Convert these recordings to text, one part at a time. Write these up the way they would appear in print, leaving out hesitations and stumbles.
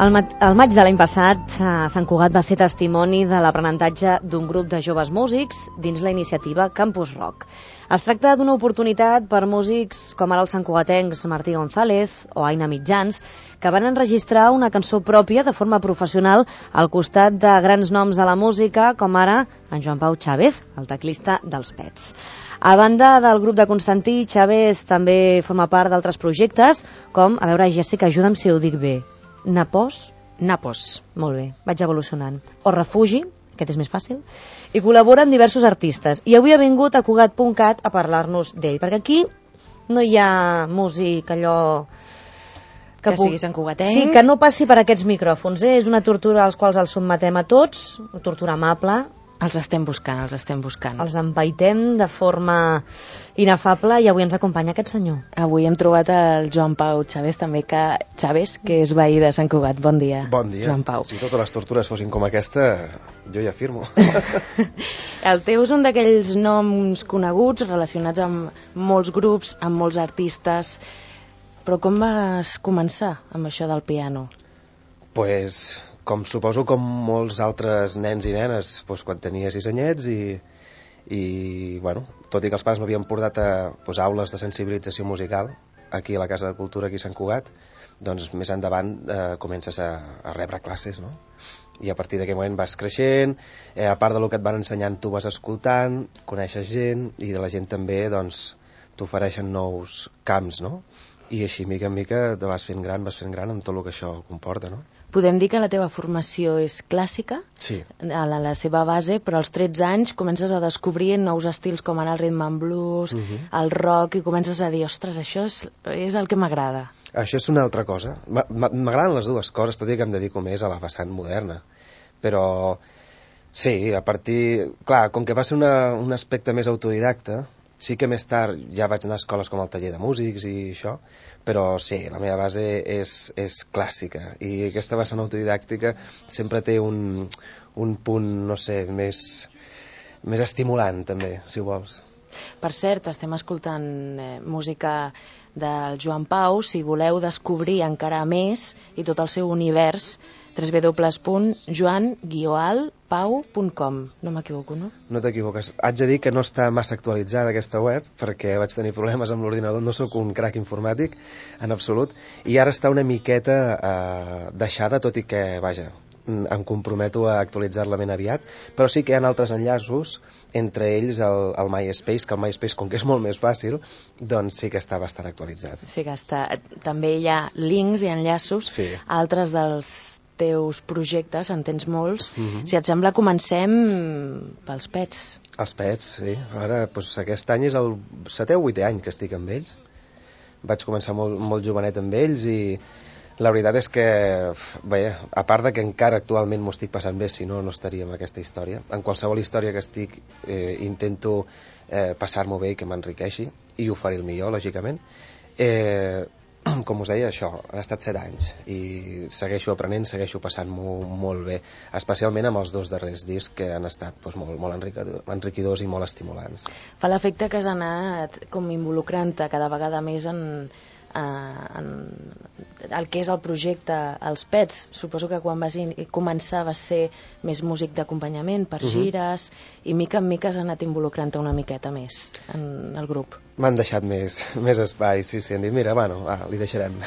El maig de l'any passat, Sant Cugat va ser testimoni de l'aprenentatge d'un grup de joves músics dins la iniciativa Campus Rock. Es tracta d'una oportunitat per músics com ara els santcugatencs Martí González o Aina Mitjans, que van enregistrar una cançó pròpia de forma professional al costat de grans noms de la música, com ara en Joan Pau Chávez, el teclista dels Pets. A banda del grup de Constantí, Chávez també forma part d'altres projectes, com, a veure, Jessica, ajuda'm si ho dic bé, Napos. Molt bé, vaig evolucionant. O Refugi, aquest és més fàcil, i col·labora amb diversos artistes. I avui ha vingut a Cugat.cat a parlar-nos d'ell, perquè aquí no hi ha músic allò... Que sigui santcugatenc. Sí, que no passi per aquests micròfons. És una tortura als quals els sotmetem a tots, una tortura amable. Els estem buscant. Els empaitem de forma inefable i avui ens acompanya aquest senyor. Avui hem trobat el Joan Pau Chávez, també Chávez, que és veí de Sant Cugat. Bon dia. Bon dia. Joan Pau. Si totes les tortures fossin com aquesta, jo ja firmo. El teu és un d'aquells noms coneguts, relacionats amb molts grups, amb molts artistes. Però com vas començar amb això del piano? Pues, com suposo com molts altres nens i nenes, pues, quan tenia 6 anyets i bueno, tot i que els pares m'havien portat a aules de sensibilització musical aquí a la Casa de Cultura aquí a Sant Cugat, doncs més endavant comences a rebre classes, no? I a partir d'aquell moment vas creixent, a part del que et van ensenyant tu vas escoltant, coneixes gent i de la gent també doncs t'ofereixen nous camps, no? I així, mica en mica, te vas fent gran amb tot el que això comporta, no? Podem dir que la teva formació és clàssica, sí, a la seva base, però als 13 anys comences a descobrir nous estils com ara el rhythm and blues, el rock, i comences a dir, ostres, això és el que m'agrada. Això és una altra cosa. M'agraden les dues coses, tot i que em dedico més a la vessant moderna. Però, sí, a partir... Clar, com que va ser un aspecte més autodidacta, sí que més tard ja vaig anar a escoles com el taller de músics i això, però sí, la meva base és clàssica i aquesta vessant autodidàctica sempre té un punt, no sé, més estimulant també, si vols. Per cert, estem escoltant música del Joan Pau. Si voleu descobrir encara més i tot el seu univers, www.joan-pau.com. No m'equivoco, no? No t'equivoques. Haig de dir que no està massa actualitzada aquesta web perquè vaig tenir problemes amb l'ordinador, no sóc un crac informàtic en absolut, i ara està una miqueta deixada, tot i que, vaja, em comprometo a actualitzar-la ben aviat, però sí que hi ha altres enllaços, entre ells el MySpace, que el MySpace, com que és molt més fàcil, doncs sí que està bastant actualitzat. Sí que està. També hi ha links i enllaços a altres dels teus projectes, en tens molts. Si et sembla, comencem pels Pets. Els Pets, sí. Ara, doncs, aquest any és el 7è o 8è any que estic amb ells. Vaig començar molt jovenet amb ells i la veritat és que, bé, a part de que encara actualment m'ho estic passant bé, si no, no estaria en aquesta història. En qualsevol història que estic intento passar-m'ho bé i que m'enriqueixi i oferir el millor, lògicament. Com us deia, això, han estat 7 anys i segueixo aprenent, segueixo passant-m'ho molt bé, especialment amb els 2 darrers discs que han estat doncs, molt enriquidors i molt estimulants. Fa l'efecte que has anat com involucrant-te cada vegada més en el que és el projecte Els Pets. Suposo que quan vas començar vas ser més músic d'acompanyament per gires i mica en mica has anat involucrant-te una miqueta més en el grup. M'han deixat més espai, sí, han dit, mira, bueno, li deixarem.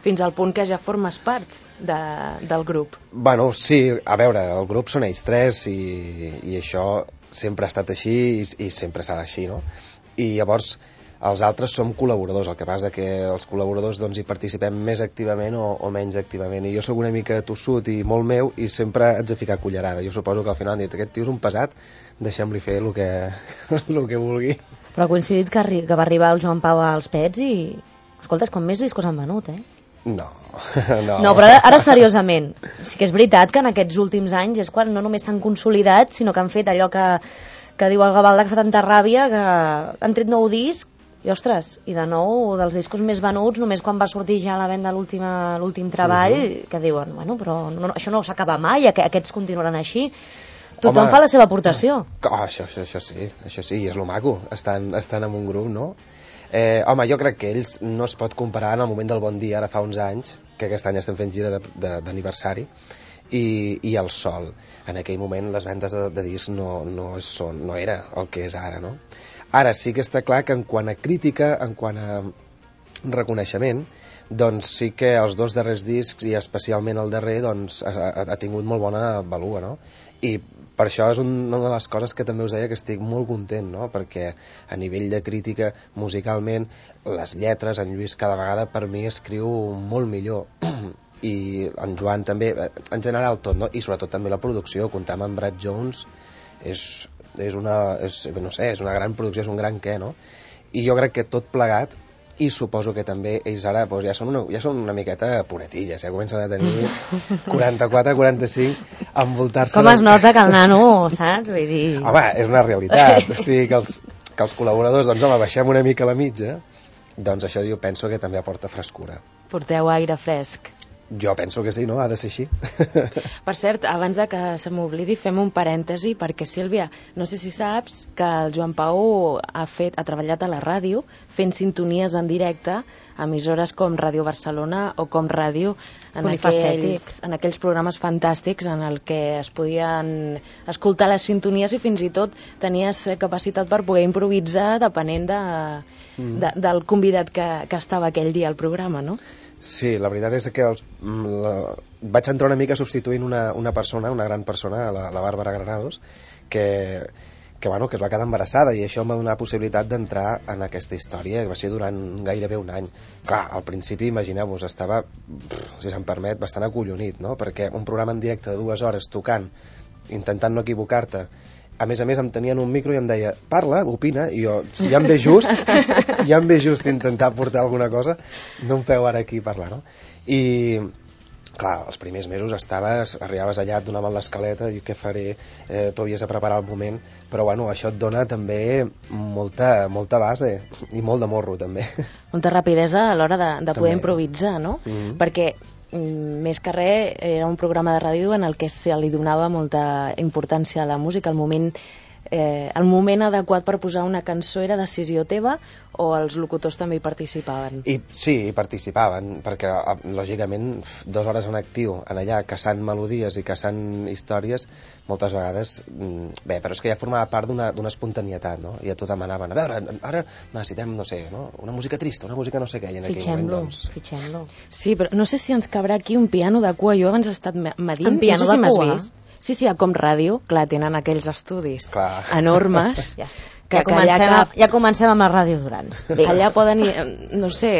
Fins al punt que ja formes part del grup. Bueno, sí, a veure, el grup són ells 3 i això sempre ha estat així i sempre serà així, no? I llavors els altres som col·laboradors, el que passa que els col·laboradors doncs, hi participem més activament o menys activament, i jo sóc una mica tossut i molt meu i sempre haig de ficar cullerada. Jo suposo que al final han dit, aquest tio és un pesat, deixem-li fer el que vulgui. Però ha coincidit que va arribar el Joan Pau als Pets i, escolta, és quan més discos han venut, eh? No, però ara seriosament, sí que és veritat que en aquests últims anys és quan no només s'han consolidat, sinó que han fet allò que diu el Gavaldà, que fa tanta ràbia, que han tret nou disc. I ostres, i de nou dels discos més venuts només quan va sortir ja a la venda l'últim treball, que diuen, bueno, però això no s'acaba mai, aquests continuaran així. Tothom fa la seva aportació. Això sí, i és lo maco, estan en un grup, no? Home, jo crec que ells no es pot comparar en el moment del Bon Dia, ara fa uns anys, que aquest any estem fent gira d'aniversari, i el Sol. En aquell moment les vendes de discs no era el que és ara, no? Ara sí que està clar que en quant a crítica, en quant a reconeixement, doncs sí que els dos darrers discs, i especialment el darrer, doncs ha tingut molt bona valua, no? I per això és una de les coses que també us deia que estic molt content, no? Perquè a nivell de crítica, musicalment, les lletres, en Lluís cada vegada per mi escriu molt millor, i en Joan també, en general tot, no? I sobretot també la producció, comptar amb en Brad Jones és una gran producció, és un gran què, no? I jo crec que tot plegat, i suposo que també ells ara doncs, ja són una miqueta puretilles, comencen a tenir 44, 45, envoltar-se... Com es nota que el nano, saps? Vull dir... Home, és una realitat, o sigui que els col·laboradors, doncs home, baixem una mica la mitja, doncs això jo penso que també aporta frescura. Porteu aire fresc. Jo penso que sí, no? Ha de ser així. Per cert, abans de que se m'oblidi, fem un parèntesi, perquè Sílvia, no sé si saps que el Joan Pau ha treballat a la ràdio fent sintonies en directe a emissores com Ràdio Barcelona o com Ràdio, en aquells programes fantàstics en el que es podien escoltar les sintonies i fins i tot tenies capacitat per poder improvisar depenent del convidat que estava aquell dia al programa, no? Sí, la veritat és que vaig entrar una mica substituint una persona, una gran persona, la Bàrbara Granados, que es va quedar embarassada, i això em va donar possibilitat d'entrar en aquesta història, que va ser durant gairebé un any. Clar, al principi, imagineu-vos, estava, si se'm permet, bastant acollonit, no? Perquè un programa en directe de 2 hores tocant, intentant no equivocar-te, a més em tenien un micro i em deia, parla, opina, i jo, si ja em ve just intentar portar alguna cosa, no em feu ara aquí parlar, no? I, clar, els primers mesos arribaves allà, et donaven l'escaleta, i què faré, tu havies de preparar el moment, però bueno, això et dona també molta base, i molt de morro, també. Molta rapidesa a l'hora de poder improvisar, no? Perquè més que res era un programa de ràdio en el que se li donava molta importància a la música. El moment adequat per posar una cançó era decisió teva, o els locutors també hi participaven? Sí, hi participaven, perquè lògicament 2 hores en actiu, en allà caçant melodies i caçant històries, moltes vegades però és que ja formava part d'una espontanietat, no? I a tu demanaven, a veure, ara necessitem, no sé, no? Una música trista, una música no sé què, i en aquell moment, doncs... Fitxem-lo. Sí, però no sé si ens cabrà aquí un piano de cua. Jo abans he estat medint, un piano no sé si de cua? M'has vist. Sí, a Com Ràdio, clar, tenen aquells estudis enormes. Ja comencem amb la Ràdio Durans. Allà poden, no sé,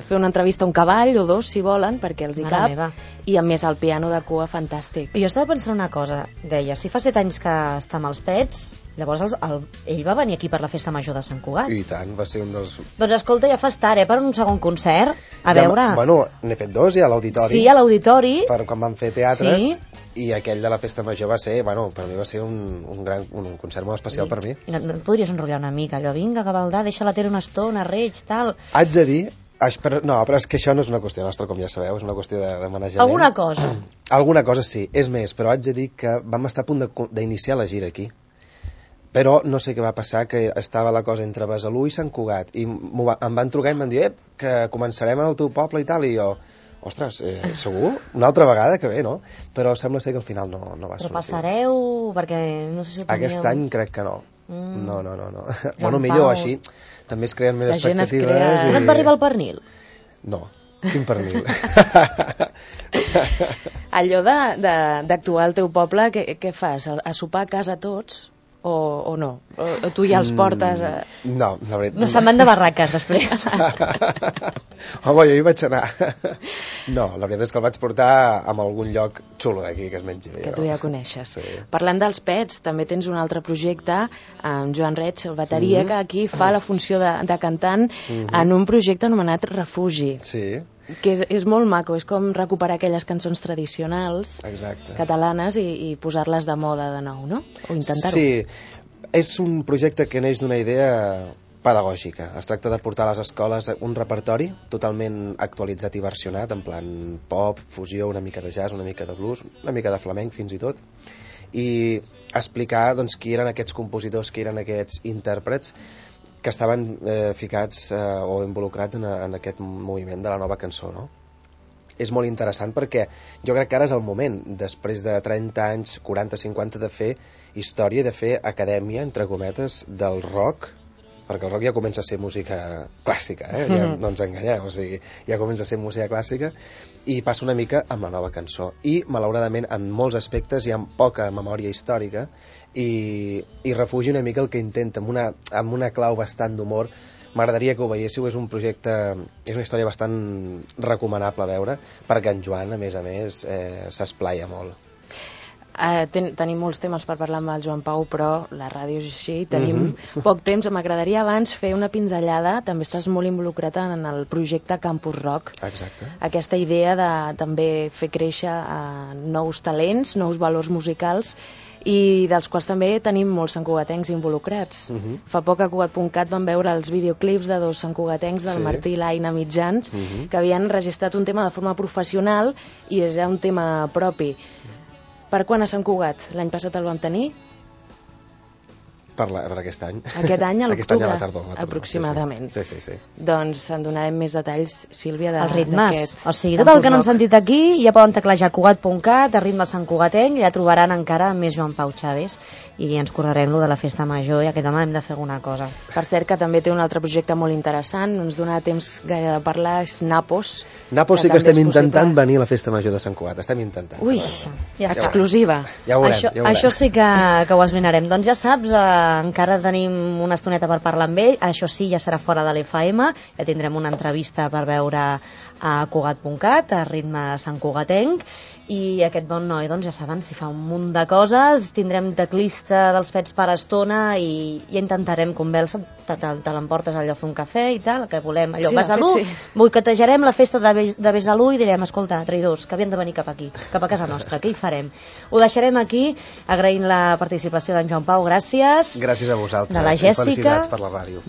fer una entrevista a un cavall o 2, si volen, perquè els hi cap. I a més el piano de cua, fantàstic. Jo estava pensant una cosa, deia, si fa 7 anys que està amb els Pets, llavors ell va venir aquí per la Festa Major de Sant Cugat. I tant, va ser un dels... Doncs escolta, ja fas tard, per un segon concert, veure... Bueno, n'he fet 2 ja a l'Auditori. Sí, a l'Auditori. Per quan vam fer teatres, i aquell de la Festa Major va ser, per mi va ser un concert molt especial per mi. I no et podries enrotllar una mica, allò, vinga, Gavaldà, deixa la tele una estona, reig, tal... Haig de dir... però és que això no és una qüestió nostra, com ja sabeu, és una qüestió de manejament. Alguna cosa? Alguna cosa sí, és més, però haig de dir que vam estar a punt d'iniciar la gira aquí. Però no sé què va passar, que estava la cosa entre Besalú i Sant Cugat, i em van trucar i em van dir, que començarem al teu poble i tal, i jo... Ostres, segur? Una altra vegada que bé, no? Però sembla ser que al final no va sortir. Però passareu, perquè no sé si ho teníeu... Aquest any crec que no. No. Bueno, millor així. També es creen més expectatives. No et va arribar el pernil? No, quin pernil? Allò d'actuar al teu poble, què fas? A sopar a casa tots? O no? O tu ja els portes... No, la veritat... No se'n van de barraques, després. Home, jo hi vaig anar. No, la veritat és que el vaig portar a algun lloc xulo d'aquí, que es mengi bé. Que tu ja coneixes. Sí. Parlant dels Pets, també tens un altre projecte, amb Joan Reig, el bateria, que aquí fa la funció de cantant en un projecte anomenat Refugi. Sí. Que és molt maco, és com recuperar aquelles cançons tradicionals catalanes i posar-les de moda de nou, no? O intentar-ho. Sí, és un projecte que neix d'una idea pedagògica. Es tracta de portar a les escoles un repertori totalment actualitzat i versionat, en plan pop, fusió, una mica de jazz, una mica de blues, una mica de flamenc fins i tot, i explicar doncs, qui eren aquests compositors, qui eren aquests intèrprets, que estaven ficats o involucrats en aquest moviment de la nova cançó, no? És molt interessant perquè jo crec que ara és el moment, després de 30 anys, 40-50, de fer història, de fer acadèmia, entre cometes, del rock, perquè el rock ja comença a ser música clàssica, ja no ens enganyem, o sigui, ja comença a ser música clàssica, i passa una mica amb la nova cançó. I, malauradament, en molts aspectes hi ha poca memòria històrica i refugi una mica el que intenta, amb una clau bastant d'humor. M'agradaria que ho veiéssiu, és un projecte, és una història bastant recomanable a veure, perquè en Joan, a més, s'esplaia molt. Tenim molts temes per parlar amb el Joan Pau, però la ràdio és així, tenim poc temps. M'agradaria abans fer una pinzellada, també estàs molt involucrat en el projecte Campus Rock. Exacte. Aquesta idea de també fer créixer nous talents, nous valors musicals, i dels quals també tenim molts santcugatencs involucrats. Fa poc a Cugat.cat vam veure els videoclips de dos santcugatencs, del Martí i l'Aina Mitjans, que havien registrat un tema de forma professional i era un tema propi. Per quan a Sant Cugat? L'any passat el vam tenir? Per aquest any. Aquest any, a l'octubre, a la tardor, aproximadament. Sí. Doncs en donarem més detalls, Sílvia, els ritmes. O sigui, tot el que no han sentit aquí ja poden teclejar Cugat.cat, a ritme Sant Cugatenc, i ja trobaran encara més Joan Pau Chaves, i ens correrem lo de la festa major, i aquest home hem de fer alguna cosa. Per cert, que també té un altre projecte molt interessant, no ens donarà temps gaire de parlar, és Napos. Napos sí que estem intentant venir a la festa major de Sant Cugat, estem intentant. Ui, exclusiva. Ja ho veurem. Això sí que ho esbrinarem. Doncs ja saps, encara tenim una estoneta per parlar amb ell, això sí, ja serà fora de l'FM, ja tindrem una entrevista per veure a Cugat.cat, a ritme Sant Cugatenc, i aquest bon noi, doncs ja saben, si fa un munt de coses, tindrem teclista dels Pets per estona i ja intentarem convèncer, te l'emportes allò a fer un cafè i tal, que volem allò, Besalú, boicotejarem la festa de Besalú i direm, escolta, traïdors, que havien de venir cap aquí, cap a casa nostra, què hi farem? Ho deixarem aquí, agraint la participació d'en Joan Pau, gràcies. Gràcies a vosaltres, de la Jèssica. Felicitats per la ràdio.